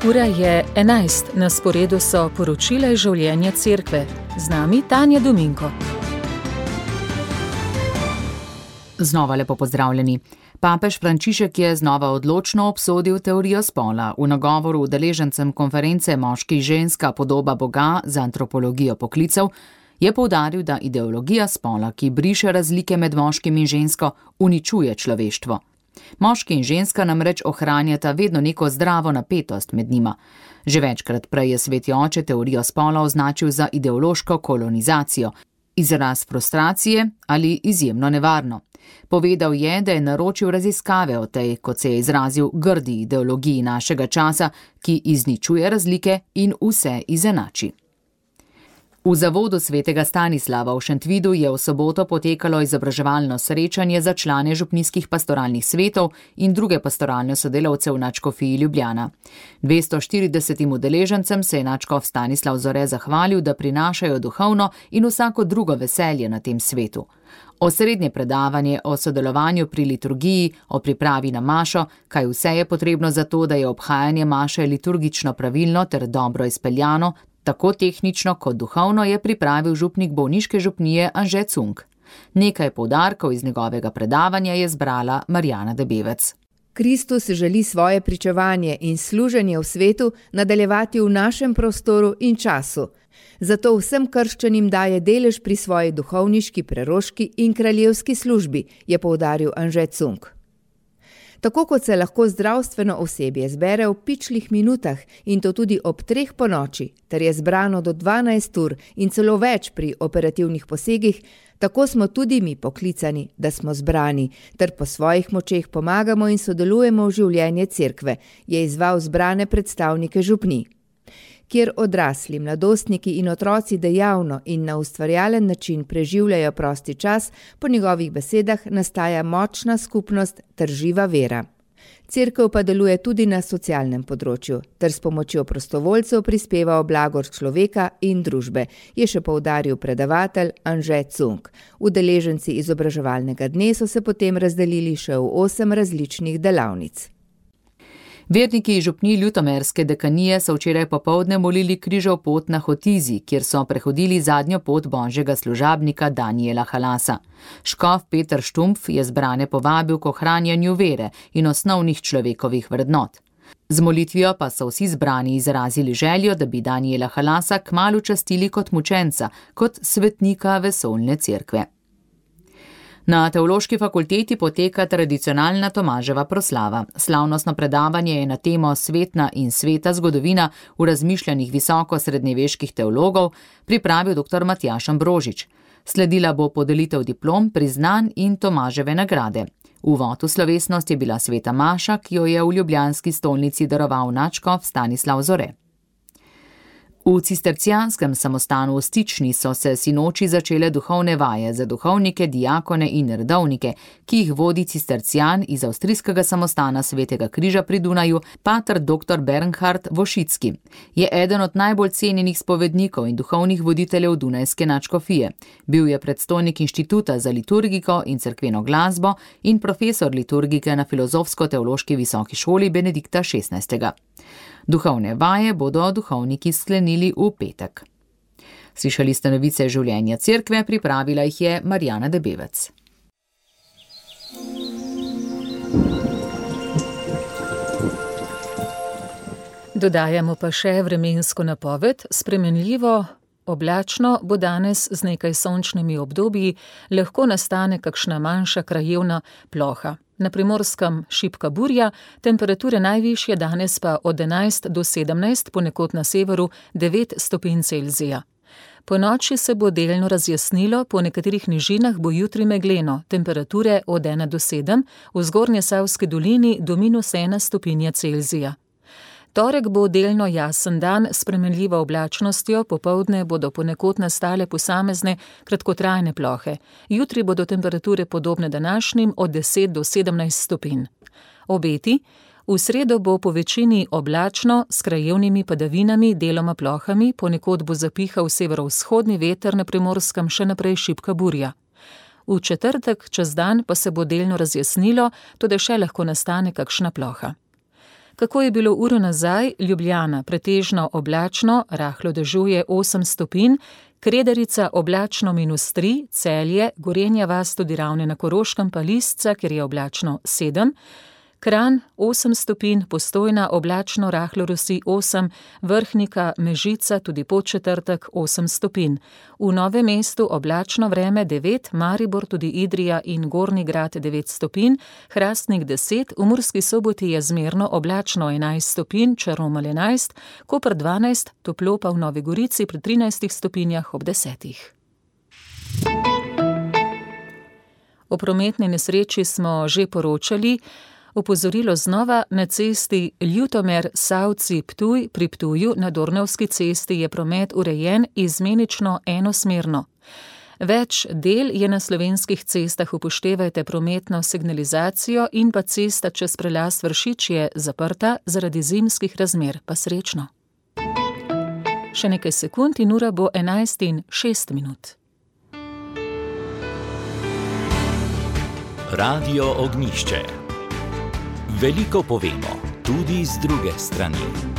Ura je 11, na sporedu so poročila iz življenja cerkve. Z nami Tanja Dominko. Znova lepo pozdravljeni. Papež Frančišek je znova odločno obsodil teorijo spola. V nagovoru udeležencem konference Moški in ženska podoba Boga z antropologijo poklicev je poudaril, da ideologija spola, ki briše razlike med moškim in žensko, uničuje človeštvo. Moški in ženska namreč ohranjata vedno neko zdravo napetost med njima. Že večkrat prej je sveti oče teorijo spola označil za ideološko kolonizacijo, izraz frustracije ali izjemno nevarno. Povedal je, da je naročil raziskave o tej, kot se je izrazil, grdi ideologiji našega časa, ki izničuje razlike in vse izenači. V zavodu svetega Stanislava v Šentvidu je v soboto potekalo izobraževalno srečanje za člane župnijskih pastoralnih svetov in druge pastoralne sodelavce v nadškofiji Ljubljana. 240 udeležencem se je nadškof Stanislav Zore zahvalil, da prinašajo duhovno in vsako drugo veselje na tem svetu. Osrednje predavanje o sodelovanju pri liturgiji, o pripravi na mašo, kaj vse je potrebno za to, da je obhajanje maše liturgično pravilno ter dobro izpeljano, tako tehnično kot duhovno, je pripravil župnik bolniške župnije Anže Cunk. Nekaj poudarkov iz njegovega predavanja je zbrala Marjana Debevec. Kristus želi svoje pričevanje in služenje v svetu nadaljevati v našem prostoru in času. Zato vsem krščanim daje delež pri svoji duhovniški, preroški in kraljevski službi, je poudaril Anže Cunk. Tako kot se lahko zdravstveno osebje zbere v pičlih minutah in to tudi ob 3 ponoči, ter je zbrano do 12 ur in celo več pri operativnih posegih, tako smo tudi mi poklicani, da smo zbrani, ter po svojih močeh pomagamo in sodelujemo v življenje cerkve, je izzval zbrane predstavnike župnij. Kjer odrasli, mladostniki in otroci dejavno in na ustvarjalen način preživljajo prosti čas, po njegovih besedah nastaja močna skupnost ter živa vera. Cerkev pa deluje tudi na socialnem področju, ter s pomočjo prostovoljcev prispeva v blagor človeka in družbe, je še poudaril predavatelj Anže Cunk. Udeleženci izobraževalnega dne so se potem razdelili še v 8 različnih delavnic. Verniki župnij ljutomerske dekanije so včeraj popoldne molili križev pot na Hotizi, kjer so prehodili zadnjo pot božjega služabnika Danijela Halasa. Škof Peter Štumpf je zbrane povabil k ohranjanju vere in osnovnih človekovih vrednot. Z molitvijo pa so vsi zbrani izrazili željo, da bi Danijela Halasa kmalu častili kot mučenca, kot svetnika vesoljne cerkve. Na Teološki fakulteti poteka tradicionalna Tomaževa proslava. Slavnostno predavanje je na temo Svetna in sveta zgodovina v razmišljanjih visoko srednjeveških teologov pripravil dr. Matjaž Ambrožič. Sledila bo podelitev diplom, priznanj in Tomaževe nagrade. Uvod v slovesnost je bila sveta maša, ki jo je v ljubljanski stolnici daroval nadškof Stanislav Zore. V cistercijanskem samostanu v Stični so se sinoči začele duhovne vaje za duhovnike, diakone in redovnike, ki jih vodi cistercijan iz avstrijskega samostana Svetega križa pri Dunaju, pater dr. Bernhard Vošicki. Je eden od najbolj cenjenih spovednikov in duhovnih voditeljev Dunajske nadškofije. Bil je predstojnik Inštituta za liturgiko in cerkveno glasbo in profesor liturgike na Filozofsko-teološki visoki šoli Benedikta XVI. Duhovne vaje bodo duhovniki sklenili v petek. Slišali ste novice življenja cerkve, pripravila jih je Marjana Debevec. Dodajamo pa še vremensko napoved. Spremenljivo oblačno bo danes z nekaj sončnimi obdobji, lahko nastane kakšna manjša krajevna ploha. Na Primorskem šibka burja, temperature najvišje danes pa od 11 do 17, ponekod na severu 9 stopinj Celzija. Po noči se bo delno razjasnilo, po nekaterih nižinah bo jutri megleno, temperature od 1 do 7, v Zgornjesavski dolini do -1 stopinja Celzija. Torek bo delno jasen dan s spremenljivo oblačnostjo, popoldne bodo ponekod nastale posamezne kratkotrajne plohe. Jutri bodo temperature podobne današnjim od 10 do 17 stopinj. Obeti: v sredo bo po večini oblačno s krajevnimi padavinami, deloma plohami, ponekod bo zapihal severovzhodni veter, na Primorskem še naprej šibka burja. V četrtek čez dan pa se bo delno razjasnilo, toda še lahko nastane kakšna ploha. Kako je bilo uro nazaj? Ljubljana pretežno oblačno, rahlo dežuje 8 stopinj, Kredarica oblačno -3, Celje, Gorenja vas, tudi Ravne na Koroškem pa Lisca, kjer je oblačno 7, Kranj 8 stopinj, Postojna oblačno, rahlo rosi 8, Vrhnika, Mežica, tudi Podčetrtek 8 stopinj. V Novem mestu oblačno vreme 9, Maribor, tudi Idrija in Gornji Grad 9 stopinj, Hrastnik 10, v Murski Soboti je zmerno oblačno 11 stopinj, Črnomelj 11, Koper 12, toplo pa v Novi Gorici pri 13 stopinjah ob 10. O prometni nesreči smo že poročali. Opozorilo znova, na cesti Ljutomer-Savci-Ptuj pri Ptuju na Dornavski cesti je promet urejen izmenično enosmerno. Več del je na slovenskih cestah, upoštevajte prometno signalizacijo in pa cesta čez prelaz Vršič je zaprta zaradi zimskih razmer, pa srečno. Še nekaj sekund in ura bo 11:06. Radio Ognjišče. Veliko povemo, tudi z druge strani.